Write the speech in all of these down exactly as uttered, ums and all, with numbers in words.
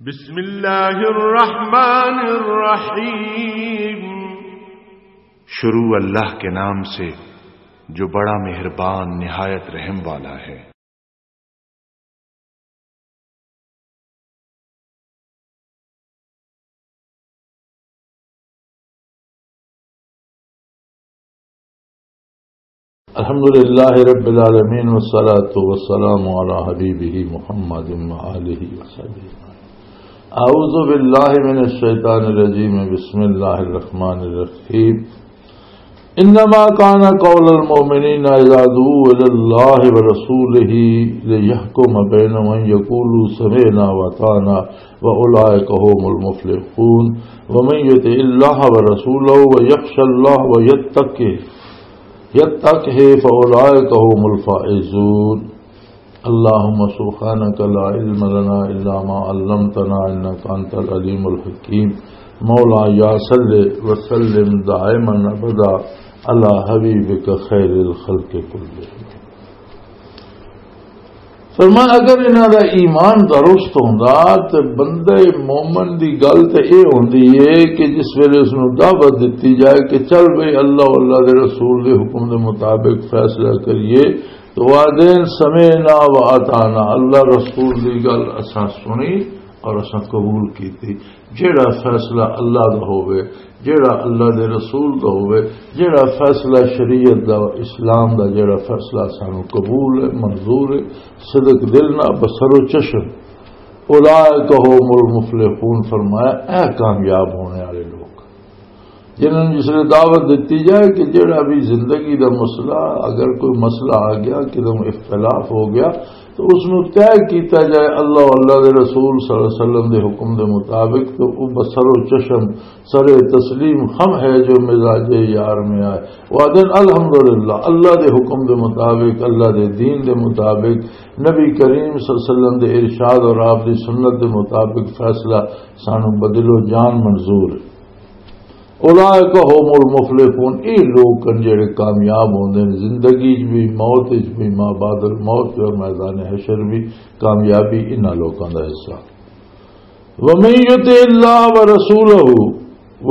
بسم اللہ الرحمن الرحیم۔ شروع اللہ کے نام سے، جو بڑا مہربان، نہایت رحم والا ہے۔ الحمد لله رب العالمين، والصلاة والسلام على حبيبه محمد وآله وصحبه. أعوذ بالله من الشيطان الرجيم. بسم الله الرحمن الرحيم. إنما كان قول المؤمنين إذا دعوا إلى الله ورسوله ليحكم بينهم أن يقولوا سمعنا وأطعنا وأولئك هم المفلحون. ومن يطع الله ورسوله ويخش الله ويتقه، يتقه فأولئك هم الفائزون. اللهم سبحانك لا علم لنا إلا ما علمتنا إنك أنت العليم الحكيم. مولاي صل وسلم دائما أبدا على حبيبك خير الخلق كلهم. فرمایا، اگر انہاں دا ایمان درست ہوندا تے بندے مومن دی گل تے اے ہوندی ہے کہ جس ویلے اس نوں دعوت دتی جائے کہ چل بھئی اللہ، اللہ دے رسول دے حکم دے مطابق فیصلہ کریے، تو آدین سمعنا و اطعنا، اللہ رسول دی گل اساں سنی اور اساں قبول کیتی۔ جیڑا فیصلہ اللہ دا ہووے، جیڑا اللہ دے رسول دا ہووے، جیڑا فیصلہ شریعت دا، اسلام دا جیڑا فیصلہ سانو قبول ہے، منظور ہے، صدق دل نہ، بصر و چشم، اولئک هم المفلحون، فرمایا اے کامیاب ہونے والے لوگ، جنہاں نوں جس نے دعوت دتی جائے کہ جیڑا بھی زندگی دا مسئلہ، اگر کوئی مسئلہ آ گیا، کدوں اختلاف ہو گیا، تو اس نوں طے کیتا جائے اللہ، اللہ دے رسول صلی اللہ علیہ وسلم دے حکم دے مطابق، تو وہ بصر و چشم، سر تسلیم خم ہے جو مزاج یار میں آئے۔ وہ آدن الحمدللہ، اللہ دے حکم دے مطابق، اللہ دے دین دے مطابق، نبی کریم صلی اللہ علیہ وسلم دے ارشاد اور آپ دی سنت دے مطابق فیصلہ سانو بدل و جان منظور ہے۔ اولئک هم المفلحون، اے لوگ کن جڑے کامیاب ہوندے نے زندگی وچ بھی، موت وچ بھی، ما بعد الموت اور میدان حشر بھی، کامیابی انہاں لوکاں دا حصہ۔ ومن یطع اللہ ورسولہ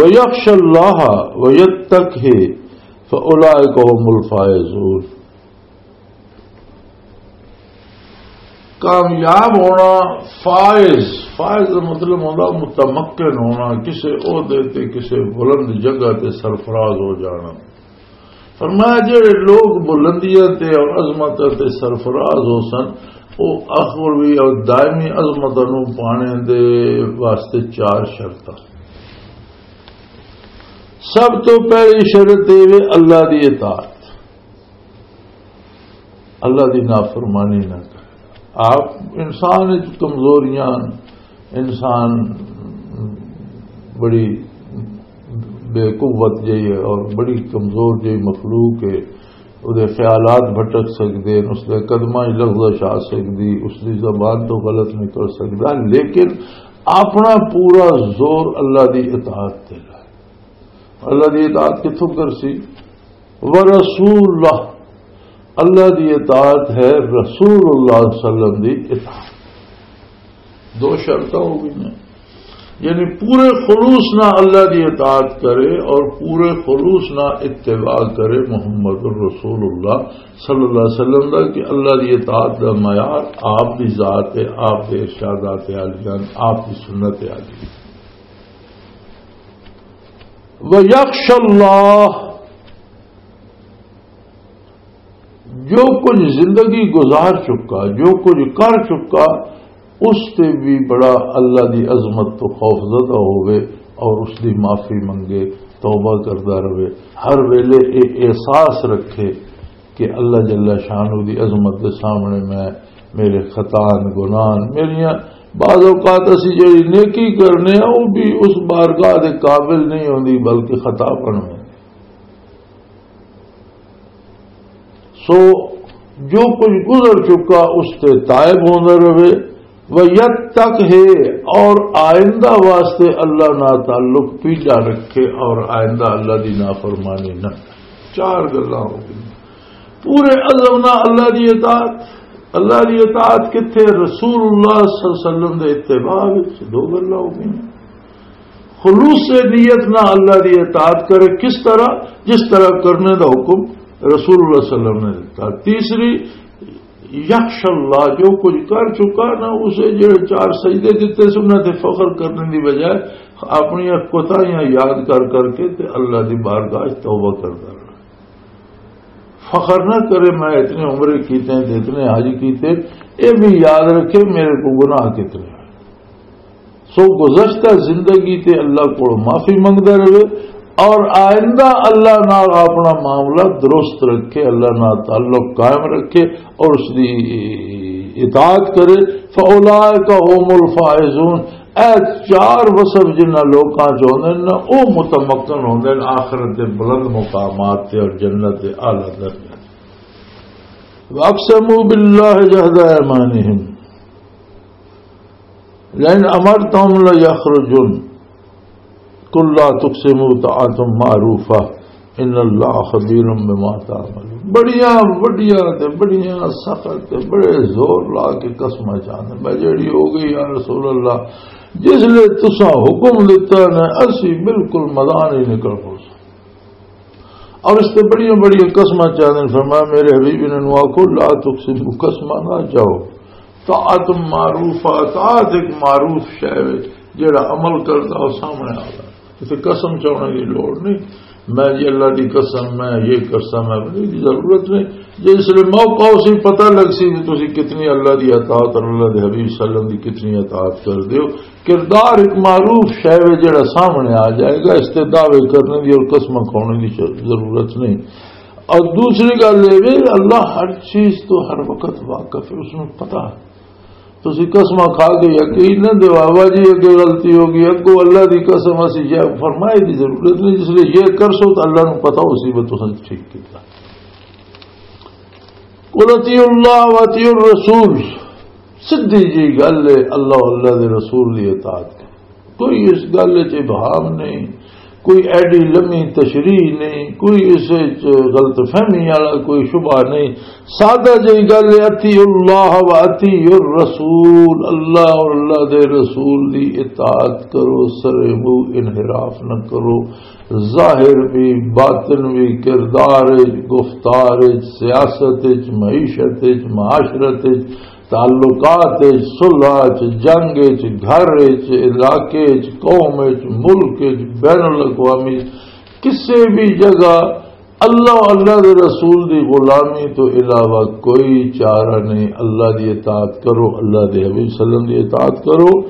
ویخش اللہ ویتقہ فاولئک هم الفائزون۔ کامیاب ہونا، فائز، فائز دا مطلب ہوندا متمکن ہونا، کسے عہدے تے، کسے بلند جگہ تے سرفراز ہو جانا۔ فرمایا، جڑے لوگ بلندیاں تے اور عظمت تے سرفراز ہو سن، او اخروی اور دائمی عظمت نوں پانے دے واسطے چار شرطاں۔ سب تو پہلی شرط یہ وے اللہ دی اطاعت، اللہ دی نافرمانی نہ کرے۔ آپ انسان وچ کمزوریاں، انسان بڑی بے قوت جہی ہے اور بڑی کمزور جہی مخلوق ہے۔ اس دے خیالات بھٹک سکدے ہیں، اس دے قدماں وچ لغزش آ سکدی، اس دی زبان تو غلط نکل سکدا، لیکن اپنا پورا زور اللہ دی اطاعت تے لائے۔ اللہ دی اطاعت کتھوں کرسی؟ ورسول اللہ، اللہ دی اطاعت ہے رسول اللہ صلی اللہ علیہ وسلم دی اطاعت۔ دو شرطاں ہو گئی ہیں، یعنی پورے خلوص نہ اللہ دی اطاعت کرے اور پورے خلوص نہ اتباع کرے محمد الرسول اللہ صلی اللہ علیہ وسلم دا، کہ اللہ دی اطاعت دا معیار آپ دی ذات ہے، آپ دے ارشادات عالیان، آپ دی سنت عالی۔ وَيَخْشَ اللَّهَ، جو کچھ زندگی گزار چکا، جو کچھ کر چکا، اس تے بھی بڑا اللہ دی عظمت تو خوف زدہ ہوئے اور اس دی معافی منگے، توبہ کردا رہے، ہر ویلے اے احساس رکھے کہ اللہ جل شانہ دی عظمت دے سامنے میں، میرے خطان، گناہن، میریاں بعض اوقات اسی جڑی نیکی کرنے ہیں، وہ بھی اس بارگاہ دے قابل نہیں ہوندی، بلکہ خطا بن ہوندی۔ سو جو کچھ گزر چکا، اس تے تائب ہوندا رہے، ویتقہ، اور آئندہ واسطے اللہ نال تعلق پیچھا رکھے اور آئندہ اللہ دی نافرمانی نہ کرے۔ چار گلاں ہو گئی۔ پورے عزم نال اللہ دی اطاعت، اللہ دی اطاعت کتھے؟ رسول اللہ صلی اللہ علیہ وسلم دے اتباع وچ۔ دو گلاں ہو گئیاں۔ خلوص نیت نہ اللہ دی اطاعت کرے، کس طرح؟ جس طرح کرنے دا حکم رسول اللہ صلی اللہ علیہ وسلم نے دیتا۔ تیسری، یخش اللہ، جو کچھ کر چکا نا، اسے جڑے چار سجدے دیتے سن، انہاں تے فخر کرنے دی بجائے اپنی کوتاہیاں یاد کر کر کے تے اللہ دی بارگاہ وچ توبہ کردا رہنا۔ فخر نہ کرے، میں اتنے عمرے کیتے ہیں تے اتنے حج کیتے، یہ بھی یاد رکھے میرے کو گناہ کتنے ہیں۔ سو گزشتہ زندگی تے اللہ کو معافی منگدا رہے اور آئندہ اللہ نال اپنا معاملہ درست رکھے، اللہ نال تعلق قائم رکھے اور اس دی اطاعت کرے۔ فَأُولَٰئِكَ هُمُ الْفَائِزُونَ۔ اے چار وصف جنہاں لوکاں چ ہوندے نے، او متمکن ہوندے نے آخرت دے بلند مقامات تے اور جنت دے اعلیٰ درجات۔ وَأَقْسَمُوا بِاللَّهِ جَهْدَ أَيْمَانِهِمْ لَئِنْ أَمَرْتَهُمْ لَيَخْرُجُنَّ۔ قل لا تقسموا طاعة معروفة ان اللہ خبیر بما تعملون۔ بڑیاں وڈیاں تے بڑیاں سخت تے بڑے زور لا کے قسماں چاہندے، میں جیڑی ہو گئی یا رسول اللہ، جس لے تساں حکم دیتا نے اسی بالکل مدان ہی نکل پوساں۔ اور اس تے بڑیاں بڑیاں قسماں چاہندے۔ فرمایا میرے حبیب انہاں نوں آکھو، لا تقسموا، قسماں نہ چاہو۔ طاعت معروف، طاعت ایک معروف شے وچ جڑا عمل کردا او سامنے آ گیا۔ اسے قسم چاہنے کی لوڑ نہیں۔ میں جی اللہ دی قسم، میں یہ قسم ہے، نہیں، ضرورت نہیں۔ جے اس لیے موقع اسی پتہ لگ سی کہ تسی کتنی اللہ دی اطاعت اور اللہ دے حبیب صلی اللہ علیہ وسلم دی کتنی اطاعت کر دیو۔ کردار ایک معروف شے وے جڑا سامنے آ جائے گا، اس تے دعوے کرنے دی اور قسماں کھانے دی ضرورت نہیں۔ اور دوسری گل یہ وے، اللہ ہر چیز تو ہر وقت واقف ہے، اس میں پتہ ہے۔ تسی قسماں کھا کے یقین نہ دیو، "بابا جی، اگے غلطی ہو گئی، اگوں اللہ دی قسم، اسی یہ فرمائے دی ضرورت نہیں، جس لیے یہ کر سو تو اللہ نو پتہ ہو سی، وہ تساں ٹھیک کیتا۔" "قل اطیعوا اللہ و اطیعوا الرسول۔" سدھی جی گل ہے، اللہ، اللہ دے رسول دی اطاعت کرو۔ کوئی اس گل وچ ابہام نہیں، کوئی ایڈی لمبی تشریح نہیں، کوئی اس وچ غلط فہمی والا کوئی شبہ نہیں۔ سادہ جہی گل ہے، اطیعوا اللہ و اطیعوا الرسول، اللہ اور اللہ دے رسول دی اطاعت کرو، سرے منہ انحراف نہ کرو، ظاہر بھی، باطن بھی، کردار وچ، گفتار وچ، سیاست وچ، معیشت وچ، معاشرت وچ، تعلقات وچ، صلح وچ، جنگ وچ، گھر وچ، علاقے وچ، قوم وچ، ملک وچ، بین الاقوامی، کسے بھی جگہ اللہ، اللہ دے رسول دی غلامی تو علاوہ کوئی چارہ نہیں۔ اللہ دی اطاعت کرو، اللہ دے حبیب صلی اللہ علیہ وسلم دی اطاعت کرو۔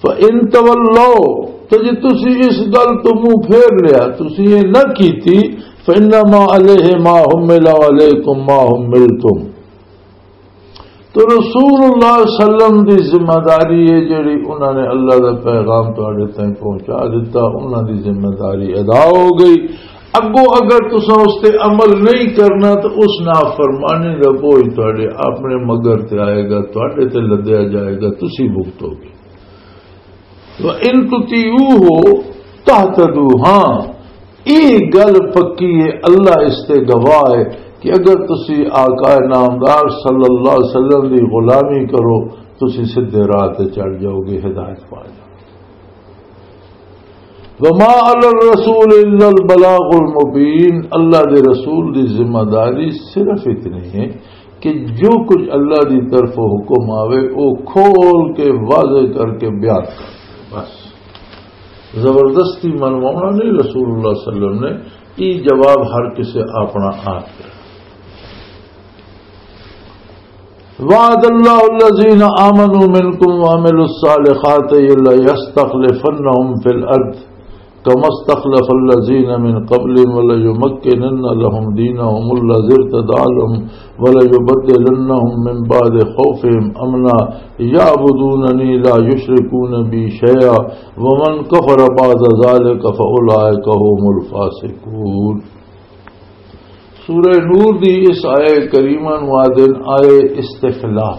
فَإِن تَوَلَّوْا، تو جے تسی اس گل تو منہ پھیر لیا، تسی یہ نہ کیتی، فَإِنَّمَا عَلَيْهِ مَا حُمِّلَ وَعَلَيْكُمْ مَا حُمِّلْتُمْ۔ تو رسول اللہ صلی اللہ علیہ وسلم دی ذمہ داری ہے، جڑی انہاں نے اللہ دا پیغام تواڈے تائیں پہنچا دیتا، انہاں دی ذمہ داری ادا ہو گئی۔ اگوں اگر تساں اس تے عمل نہیں کرنا تو اس نافرمانی دا بوجھ تواڈے اپنے مگر تے آئے گا، تواڈے تے لدیا جائے گا، تسی بھگتو گے۔ وَإِن تُطِيعُوهُ تَهْتَدُوا، ہاں، یہ گل پکی ہے، اللہ اس تے گواہ ہے کہ اگر تسی آقا نامدار صلی اللہ علیہ وسلم دی غلامی کرو، تسی سدھے راہ تے چڑھ جاؤ گے، ہدایت پا جاؤ گے۔ وَمَا عَلَى الرَّسُولِ إِلَّا الْبَلَاغُ الْمُبِينُ، اللہ دے رسول دی ذمہ داری صرف اتنی ہے کہ جو کچھ اللہ دی طرف حکم آوے، او کھول کے واضح کر کے بیان کر۔ بس، زبردستی منوانا نہیں رسول اللہ صلی اللہ علیہ وسلم نے، یہ جواب ہر کسی اپنا آپ ہے۔ وعد اللہ الذین آمنوا منکم وعملوا الصالحات لیستخلفنہم فی الارض کما استخلف الذین من قبلہم وليمكنن لهم دينهم الذي ارتضى لهم وليبدلنهم من بعد خوفهم أمنا يعبدونني لا يشركون بي شيئا ومن كفر بعد ذلك فأولئك هم الفاسقون۔ سورہ نور دی اس آیہ کریمہ نوں آدن آیہ استخلاف۔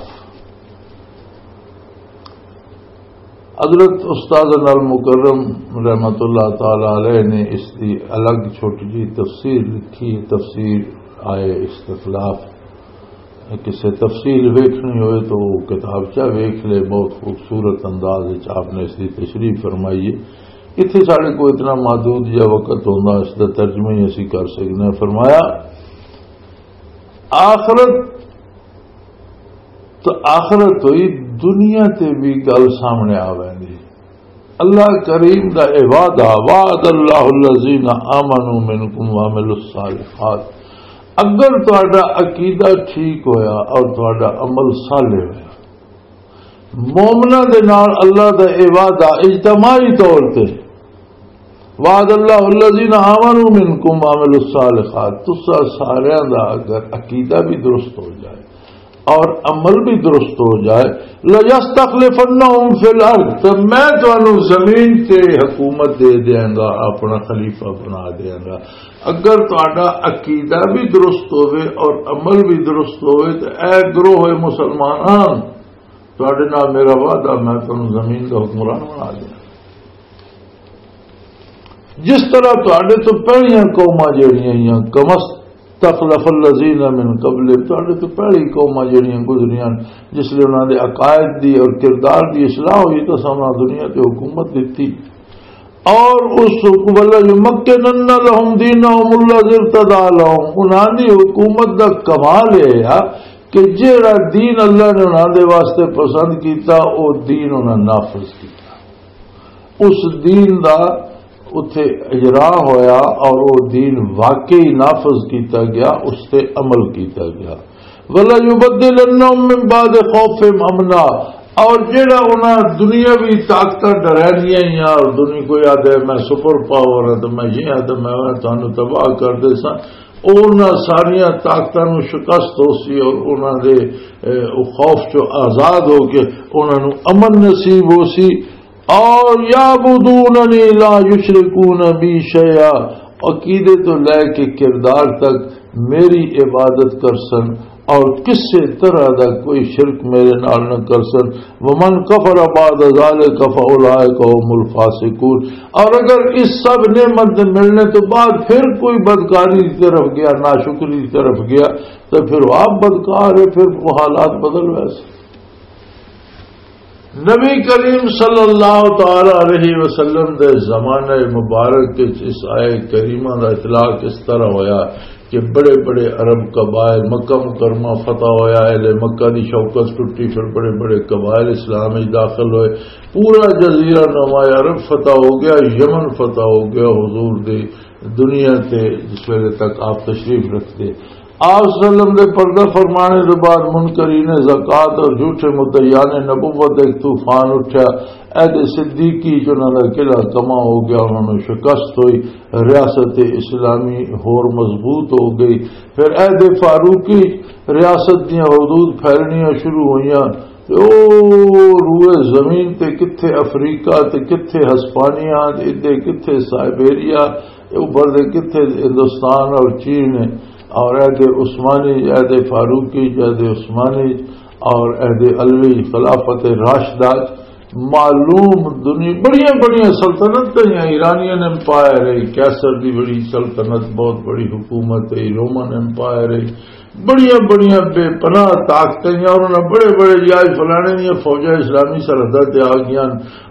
حضرت استاد نال مکرم رحمت اللہ تعالی علیہ نے اس دی الگ چھوٹی جی تفسیر لکھی، تفسیر آئے استخلاف۔ کسے تفصیل ویکھنی ہوئے تو وہ کتابچہ ویکھ لے، بہت خوبصورت انداز وچ آپ نے اس کی تشریح فرمائی ہے۔ اتنے سارے کو اتنا محدود یا وقت ہونا، اس کا ترجمہ ہی اسی کر سکنے۔ فرمایا، آخرت تو آخرت ہوئی، دنیا تے بھی گل سامنے آ ویندی۔ اللہ کریم دا اے وعدہ، "وعد اللہ الذین آمنوا منکم وعملوا الصالحات"، اگر تہاڈا عقیدہ ٹھیک ہویا اور تہاڈا عمل صالح ہویا، مومناں دے نال اللہ دا اے وعدہ اجتماعی طور تے، "وعد اللہ الذین آمنوا منکم وعملوا الصالحات"، تسا ساریاں دا اگر عقیدہ بھی درست ہو جائے اور عمل بھی درست ہو جائے، "لَيَسْتَخْلِفَنَّهُمْ فِي الْأَرْضِ"، تو میں تانوں زمین تے حکومت دے دیاں گا، اپنا خلیفہ بنا دیاں گا۔ اگر تہاڈا عقیدہ بھی درست ہوئے اور عمل بھی درست ہوئے، تو اے گروہ مسلمان، تہاڈے نال میرا وعدہ، میں تانوں زمین دا حکمران بنا دیاں۔ جس طرح تہاڈے تو پہلیاں قوماں جڑیاں آئیاں، "كَمَا اسْتَخْلَفَ الَّذِينَ مِنْ قَبْلِهِمْ"، تہاڈے تو پہلی قوماں جڑیاں گزریاں، جس لئے انہاں دے عقائد دی اور کردار دی اصلاح ہوئی، تو اساں انہاں دنیا تے حکومت دتی۔ اور اس حکم، "وَلَيُمَكِّنَنَّ لَهُمْ دِينَهُمُ الَّذِي ارْتَضَىٰ لَهُمْ"، انہاں دی حکومت دا کمال یہ ہے کہ جہڑا دین اللہ نے انہاں دے واسطے پسند کیتا، او دین انہاں نافذ کیتا۔ اس دین دا اتھے اجرا ہویا اور وہ دین واقعی نافذ کیتا گیا، اس تے عمل کیتا گیا۔ "وَلَيُبَدِّلَنَّهُم مِّن بَعْدِ خَوْفِهِمْ أَمْنًا"، اور جڑا انہاں دنیاوی طاقتاں ڈرائیاں ہیاں اور دنیا کوئی آدھے، "میں سپر پاور ہاں تے میں یہ ہاں تے میں تانوں تباہ کر دے ساں"، انہاں ساریاں طاقتاں نوں شکست ہو سی اور انہاں دے، اے، او خوف چوں آزاد ہو کے انہاں نوں امن نصیب ہو سی۔ اور "يَعْبُدُونَنِي لَا يُشْرِكُونَ بِي شَيْئًا"، عقیدے تو لے کے کردار تک میری عبادت کر سن اور کسے طرح دا کوئی شرک میرے نال نہ کر سن۔ "وَمَنْ كَفَرَ بَعْدَ ذَٰلِكَ فَأُولَٰئِكَ هُمُ الْفَاسِقُونَ"، اور اگر اس سب نعمت دے ملنے تو بعد پھر کوئی بدکاری دی طرف گیا، ناشکری دی طرف گیا، تو پھر وہ آپ بدکار ہے، پھر وہ حالات بدل ویسے۔ نبی کریم صلی اللہ تعالی علیہ وسلم دے زمانہ مبارک وچ اس آیت کریمہ دا اطلاق اس طرح ہویا کہ بڑے بڑے عرب قبائل، مکہ مکرمہ فتح ہویا، اہل مکہ دی شوکت ٹوٹی، پھر بڑے بڑے قبائل اسلام وچ داخل ہوئے۔ پورا جزیرہ نما عرب فتح ہو گیا، یمن فتح ہو گیا حضور دی دنیا تے، جس ویلے تک آپ تشریف رکھتے۔ آپ صلی اللہ علیہ وسلم دے پردہ فرمانے دے بعد منکرین زکوٰۃ اور جھوٹے مدعیان نبوت دا ایک طوفان اٹھیا۔ عہد صدیقی چ انہاں دا قلعہ تباہ ہو گیا، انہاں نوں شکست ہوئی، ریاست اسلامی ہور مضبوط ہو گئی۔ پھر عہد فاروقی ریاست دیاں حدود پھیلنیاں شروع ہوئیاں۔ تے او روئے زمین تے کتھے افریقہ، تے کتھے ہسپانیہ، تے ادھے کتھے سائبیریا، تے اوپر دے کتھے ہندوستان اور چین ہے، اور عہد عثمانی، عہد فاروقی، عہد عثمانی اور عہد علوی، خلافت راشدہ، معلوم دنیا بڑیاں بڑیاں سلطنتیں ہیں، ایرانین ایمپائر ہے، قیصر دی بڑی سلطنت، بہت بڑی حکومت ہے، رومن ایمپائر ہے، بڑیاں بڑیاں بے پناہ طاقتیں ہیں، اور انہاں بڑے بڑے، یا فلانے دیاں فوجاں اسلامی سرحداں تے آ گئیاں،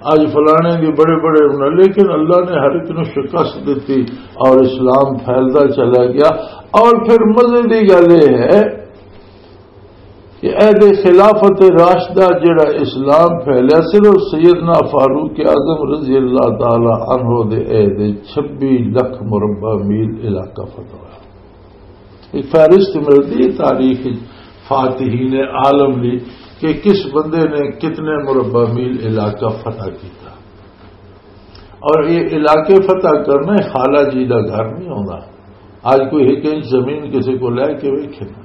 اج فلانے دی بڑے بڑے انہاں، لیکن اللہ نے ہر ایک نوں شکست دتی اور اسلام پھیلدا چلا گیا۔ اور پھر مزے دی گل یہ ہے کہ عہد خلافت راشدہ جڑا اسلام پھیلیا، صرف سیدنا فاروق اعظم رضی اللہ تعالی عنہ دے عہد چھبی لکھ مربع میل علاقہ فتح ہوا۔ ایک فہرست ملتی ہے تاریخ وچ فاتحین عالم دی کہ کس بندے نے کتنے مربع میل علاقہ فتح کیتا۔ اور یہ علاقے فتح کرنا خالہ جی دا گھر نہیں ہوندا۔ اج کوئی ایک انچ زمین کسی کو لے کے ویکھے نا،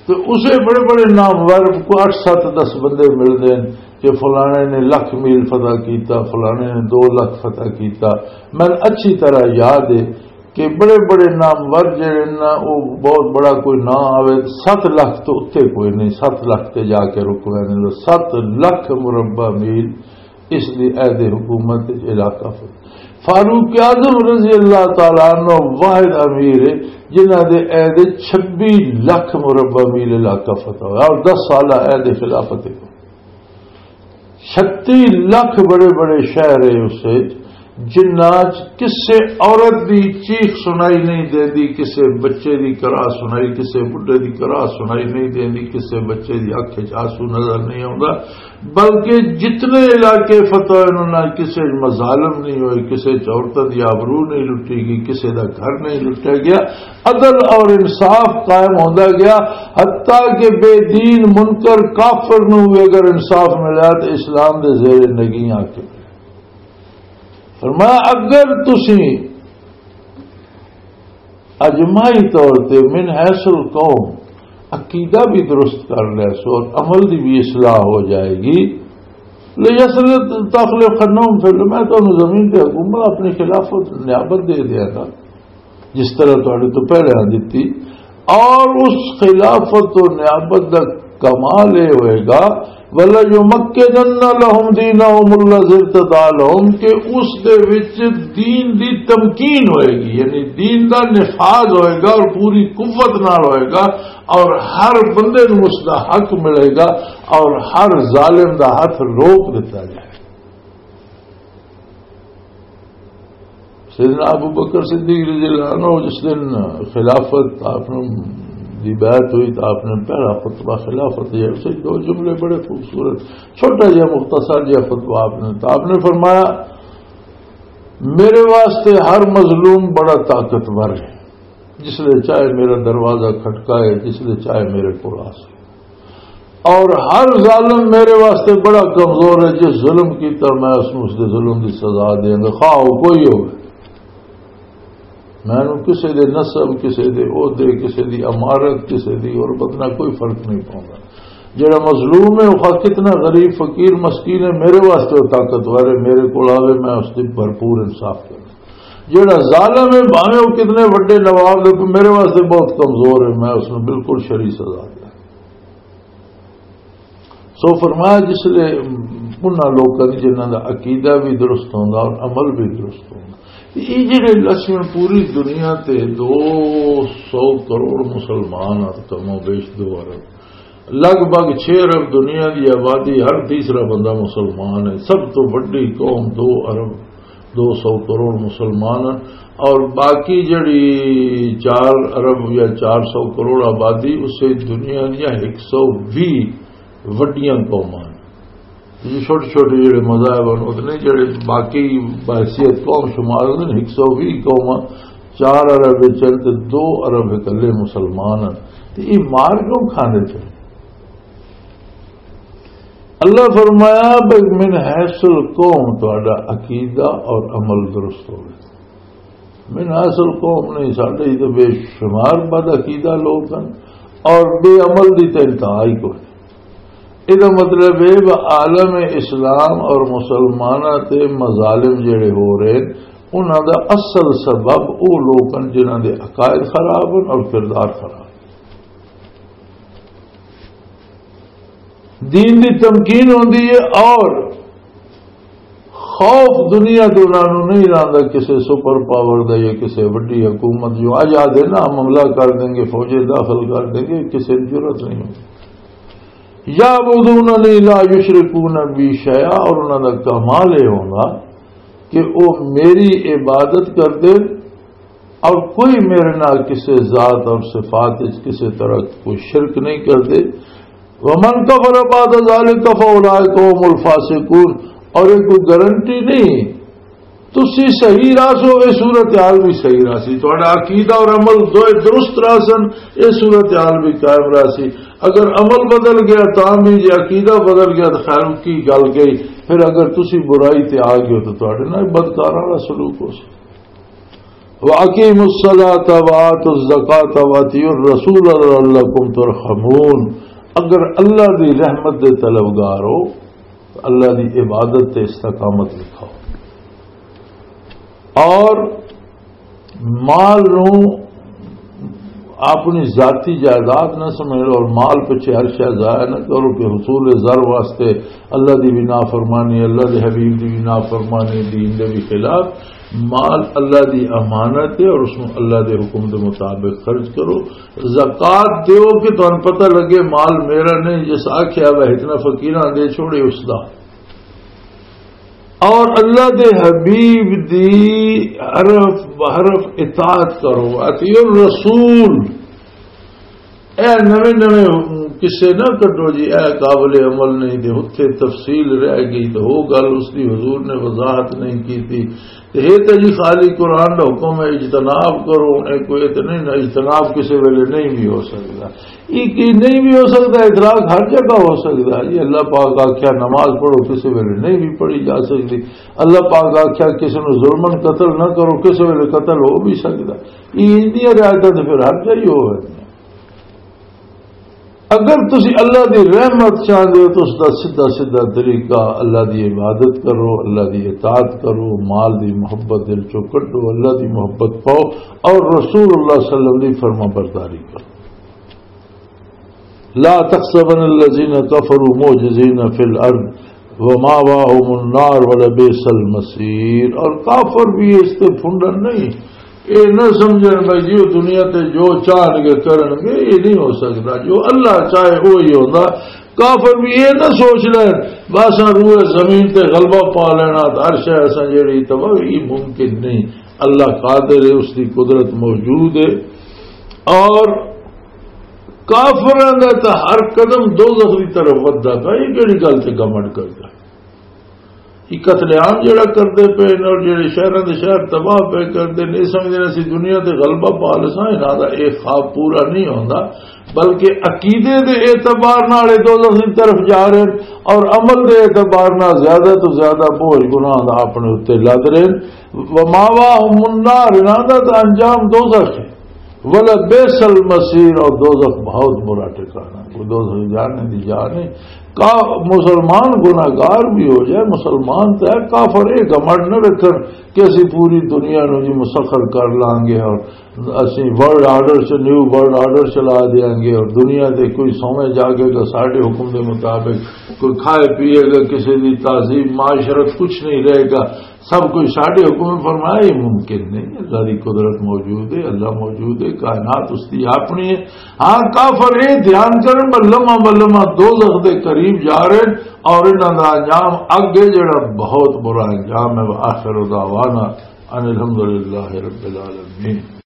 تو اسے بڑے بڑے نامور کو اٹھ ست دس بندے ملدے ہیں کہ فلانے نے لکھ میل فتح کیتا، فلانے نے دو لکھ فتح کیتا۔ میں اچھی طرح یاد ہے کہ بڑے بڑے نامور جڑے نا، وہ بہت بڑا کوئی نام آوے، ست لکھ تو اتے کوئی نہیں، ست لکھ تے جا کے رک ویندے۔ ست لکھ مربع میل اس دی عہد حکومت وچ علاقہ فتح۔ فاروق اعظم رضی اللہ تعالیٰ عنہ واحد امیر ہے، جنہاں دے عہد چھبی لکھ مربع میل علاقہ فتح ہوا اور دس سالہ عہد خلافت کو۔ چھتی لکھ بڑے بڑے شہر ہے اس وچ، جنہاں چ کسے عورت دی چیخ سنائی نہیں دیندی، کسے بچے دی کرا سنائی، کسے بڈھے دی کرا سنائی نہیں دیندی، کسے بچے دی اکھ وچ آنسو نظر نہیں آوندا، بلکہ جتنے علاقے فتح ہوئے، انہاں نال کسے مظالم نہیں ہوئے، کسے چ عورتاں دی آبرو نہیں لٹی گئی، کسے دا گھر نہیں لٹیا گیا، عدل اور انصاف قائم ہوندا گیا، حتیٰ کہ بے دین منکر کافر نوں بھی اگر انصاف ملیا تو اسلام دے زیر نگیں آ کے۔ فرمایا، اگر تسی اجماعی طور تے من حیث القوم عقیدہ بھی درست کر لے سو اور عمل دی بھی اصلاح ہو جائے گی، لیسلت تخلف خنوم فی الارض، میں تانوں زمین تے حکومت، اپنی خلافت، نیابت دے دیاں گا، جس طرح تہاڈے تو پہلے دتی۔ اور اس خلافت و نیابت دا کمال یہ ہوئے گا، وَلَيُمَكِّنَنَّ لَهُمْ دِينَهُمُ الَّذِي ارْتَضَىٰ لَهُمْ، کہ اس دے وچ دین دی تمکین ہوئے گی، یعنی دین دا نفاذ ہوئے گا اور پوری قوت نال ہوئے گا، اور ہر بندے نوں اس دا حق ملے گا، اور ہر ظالم دا ہاتھ روک دتا جائے۔ سیدنا ابو بکر صدیق رضی اللہ عنہ جس دن خلافت آپ نے دی بیعت ہوئی تو آپ نے پہلا خطبہ خلافت دیا، اسے دو جملے بڑے خوبصورت، چھوٹا جہا مختصر جہا خطبہ آپ نے، تو آپ نے فرمایا، میرے واسطے ہر مظلوم بڑا طاقتور ہے، جس لے چاہے میرا دروازہ کھٹکائے، جس لے چاہے میرے کو آ سکے، اور ہر ظالم میرے واسطے بڑا کمزور ہے، جس ظلم کیتا میں اس نوں اس دے ظلم دی سزا دیاں گا، خواہ وہ کوئی ہوگا۔ مینوں کسے دے نسب، کسے دے عہدے، کسے دی امارت، کسے دی غربت نہ کوئی فرق نہیں پاؤندا۔ جڑا مظلوم ہے، وہ خواہ کتنا غریب، فقیر، مسکین ہے، میرے واسطے وہ طاقتور ہے، میرے کول آوے، میں اس دی بھرپور انصاف کروں۔ جڑا ظالم ہے، بھاویں وہ کتنے وڈے نواب دے، میرے واسطے بہت کمزور ہے، میں اس نوں بالکل شری سزا دوں۔ سو فرمایا، جس لے انہاں لوکاں دی جنہاں دا عقیدہ بھی درست ہوندا اور عمل بھی درست ہوندا۔ تے یہ جڑے لسن پوری دنیا تے دو سو کروڑ مسلمان اور کم و بیش دو ارب، لگ بھگ چھ ارب دنیا دی آبادی، ہر تیسرا بندہ مسلمان ہے۔ سب تو وڈی قوم، دو ارب دو سو کروڑ مسلمان ہیں، اور باقی جڑی چار ارب یا چار سو کروڑ آبادی، اسے دنیا دیا ایک سو وی وڈیاں قوماں ہیں۔ یہ چھوٹے چھوٹے جڑے مذاہب ہیں، اتنے جڑے باقی بحیثیت قوم شمار ہوندے نے، ایک سو وی قوماں، چار ارب وچ تے دو ارب اکلے مسلمان ہیں۔ تے یہ مار کیوں کھاندے پے؟ اللہ فرمایا، بھئی من حیث القوم تہاڈا عقیدہ اور عمل درست ہوئے۔ من حیث القوم نہیں، ساڈے ہی تو بے شمار بد عقیدہ لوگ ہیں اور بے عمل دی تے انتہا ہی کوئی۔ یہ مطلب ہے، وہ عالم اسلام اور مسلماناں تے مظالم جڑے ہو رہے ہیں، انہاں دا اصل سبب وہ لوگ ہیں جنہاں دے عقائد خراب ہیں اور کردار خراب۔ دین دی تمکین ہوندی ہے اور خوف دنیا تو انہاں نوں نہیں رہندا، کسے سپر پاور دا یا کسے وڈی حکومت، جو اج آدھے نا، حملہ کر دیں گے، فوجیں داخل کر دیں گے، کسے دی جرات نہیں ہوندی۔ یعبدوننی لا یشرکون بی شیئا، اور انہاں دا کمال یہ ہوندا کہ وہ میری عبادت کردے اور کوئی میرے نال کسے ذات اور صفات وچ کسے طرح کوئی شرک نہیں کردے۔ ومن کفر بعد ذلک فاولئک هم الفاسقون۔ اور یہ کوئی گارنٹی نہیں، تسی صحیح راہ سو، یہ صورتحال بھی صحیح راہ سی، تہاڈا عقیدہ اور عمل دوئے درست راہ سن، یہ صورتحال بھی قائم راہ سی۔ اگر عمل بدل گیا تاں بھی، جے عقیدہ بدل گیا تو خیر کی گل گئی، پھر اگر تسی برائی تے آ گئے تو تہاڈے نال بدکاراں والا سلوک ہو سی۔ وَأَقِيمُوا الصَّلَاةَ وَآتُوا الزَّكَاةَ وَأَطِيعُوا الرَّسُولَ لَعَلَّكُمْ تُرْحَمُونَ۔ اگر اللہ دی رحمت دے طلبگار ہو تو اللہ دی عبادت تے استقامت دکھاؤ، اور مال نو اپنی ذاتی جائیداد نہ سمجھ لو اور مال پچھے ہر شے ضائع نہ کرو کہ حصول زر واسطے اللہ دی بھی نافرمانی، اللہ دے حبیب دی بھی نافرمانی، دین دے بھی خلاف۔ مال اللہ دی امانت ہے اور اس کو اللہ دے حکم دے مطابق خرچ کرو۔ زکوٰۃ دیو کہ تانوں پتہ لگے مال میرا نہیں، جس آکھیا وہ اتنا فقیراں دے چھوڑے اس دا۔ اور اللہ دے حبیب دی حرف بحرف اطاعت کرو، اطیعوا الرسول۔ اے نویں نویں قصے نہ کڈو جی، اے قابل عمل نہیں، تے اتھے تفصیل رہ گئی، تے وہ گل اس دی حضور نے وضاحت نہیں کیتی۔ تے یہ تے جی خالی قرآن دا حکم ہے، اجتناب کرو، اے کوئی تے نہیں، نہ اجتناب کسے ویلے نہیں بھی ہو سکدا۔ یہ کہ نہیں بھی ہو سکدا، ادراک ہر جگہ ہو سکدا۔ یہ اللہ پاک آکھیا نماز پڑھو، کسے ویلے نہیں بھی پڑھی جا سکدی۔ اللہ پاک آکھیا کسے نوں ظلمن قتل نہ کرو، کسے ویلے قتل ہو بھی سکدا۔ یہ ان دیاں رعایتاں تے پھر ہر جگہ ہی ہو رہی ہیں۔ اگر تسی اللہ دی رحمت چاہندے ہو تو اس دا سیدھا سیدھا طریقہ اللہ دی عبادت کرو، اللہ دی اطاعت کرو، مال دی محبت دل چوں کڈو، اللہ دی محبت پاؤ اور رسول اللہ صلی اللہ علیہ وسلم دی فرما برداری کرو۔ لا تحسبن الذين كفروا معجزين في الأرض ومأواهم النار ولبئس المصير۔ اور کافر بھی اس تے پھنڈن نہیں، اے نہ سمجھن بھائی جی، وہ دنیا تے جو چاہن گے کرن گے، یہ نہیں ہو سکتا۔ جو اللہ چاہے وہی ہوتا۔ کافر بھی یہ نہ سوچ لین بس روئے زمین تے غلبہ پا لینا، تے ہر شے اساں جیڑی تباہ، یہ ممکن نہیں۔ اللہ قادر ہے، اس کی قدرت موجود ہے۔ اور کافراں دا تاں ہر قدم دوزخ دی طرف ودھدا پیا، یہ کیڑی گل تے گھمنڈ کردا؟ یہ قتل عام جڑا کردے پے نے اور جڑے شہراں دے شہر تباہ پے کردے نے، یہ سمجھدے نے اسی دنیا تے غلبہ پا لساں، انہاں دا یہ خواب پورا نہیں ہوندا، بلکہ عقیدے دے اعتبار نال یہ دوزخ دی طرف جا رہے ہیں اور عمل دے اعتبار نال زیادہ تو زیادہ بوجھ گناہ دا اپنے اُتے لد رہے ہیں۔ وماواہم النار، انہاں دا تاں انجام دوزخ ہے۔ ولبئس المصیر، اور دوزخ بہت برا ٹھکانہ، کوئی دوزخ جانے دی جا نہیں۔ کا مسلمان گناہگار بھی ہو جائے، مسلمان تے ہے، کافر یہ گھمنڈ نہ رکھن کہ اسی پوری دنیا نو جی مسخر کر لانگے اور اسی ورلڈ آرڈر سے نیو ورلڈ آرڈر چلا دیاں گے اور دنیا دے کوئی سویں جاگے گا ساڈے حکم دے مطابق، کوئی کھائے پیے گا، کسی دی تہذیب معاشرت کچھ نہیں رہے گا، سب کچھ ساڈے حکم فرمایا۔ یہ ممکن نہیں، اللہ دی قدرت موجود ہے، اللہ موجود ہے، کائنات اس دی اپنی ہے۔ ہاں، کافر یہ دھیان کرن بلما بلما دوزخ دے قریب جا رہے ہیں اور انہاں دا انجام اگے جڑا بہت برا انجام ہے۔ وآخر دعوانا ان الحمدللہ رب العالمین۔